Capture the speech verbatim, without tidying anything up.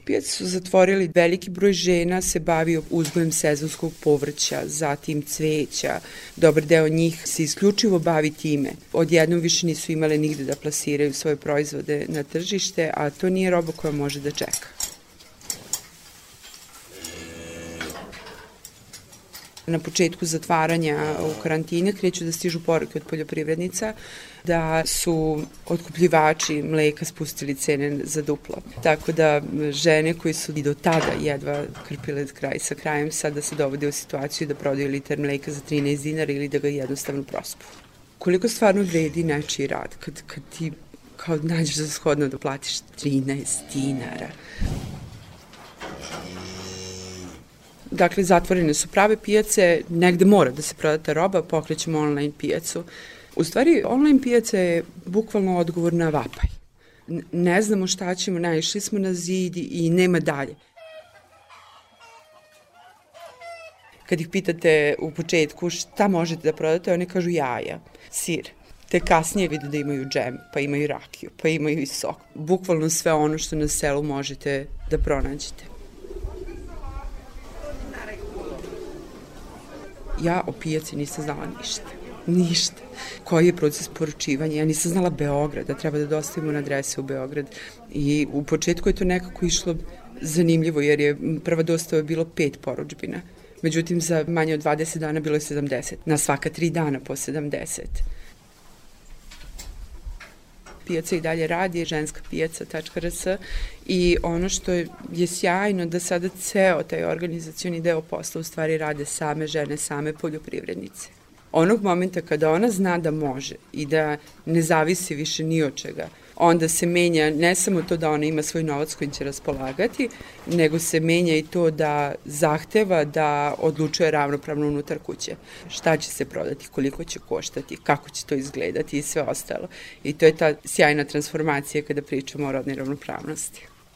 Pijace su zatvorili, veliki broj žena se bavio uzgojem sezonskog povrća, zatim cveća, dobar deo njih se isključivo bavi time. Odjednom više nisu imale nigde da plasiraju svoje proizvode na tržište, a to nije roba koja može da čeka. Na početku zatvaranja u karantine kreću da stižu poruke od poljoprivrednica da su otkupljivači mleka spustili cene za duplo. Tako da žene koji su i do tada jedva krpile kraj sa krajem sada se dovode u situaciju da prodaju liter mleka za trinaest dinara ili da ga jednostavno prospu. Koliko stvarno vredi nečiji rad kad, kad ti kao nađeš za shodno da platiš trinaest dinara? Dakle, zatvorene su prave pijace, negde mora da se prodata roba, pokrećemo online pijacu. U stvari, online pijaca je bukvalno odgovor na vapaj. Ne znamo šta ćemo, naišli smo na zid i nema dalje. Kad ih pitate u početku šta možete da prodate, oni kažu jaja, sir. Te kasnije vidu da imaju džem, pa imaju rakiju, pa imaju i sok. Bukvalno sve ono što na selu možete da pronađete. Ja o pijaci nisam znala ništa. Ništa. Koji je proces poručivanja? Ja nisam znala Beograd, da treba da dostavimo na adrese u Beograd. I u početku je to nekako išlo zanimljivo, jer je prva dostava bilo pet poručbina. Međutim, za manje od dvadeset dana bilo je sedamdeset. Na svaka tri dana po sedamdeset. Pijaca i dalje radi, ženska pijaca tačka er es i ono što je, je sjajno da sada ceo taj organizacioni deo posla u stvari rade same žene, same poljoprivrednice. Onog momenta kada ona zna da može i da ne zavisi više ni od čega, onda se menja ne samo to da ona ima svoj novac kojim će raspolagati, nego se menja i to da zahteva da odlučuje ravnopravno unutar kuće. Šta će se prodati, koliko će koštati, kako će to izgledati i sve ostalo. I to je ta sjajna transformacija kada pričamo o rodnoj ravnopravnosti.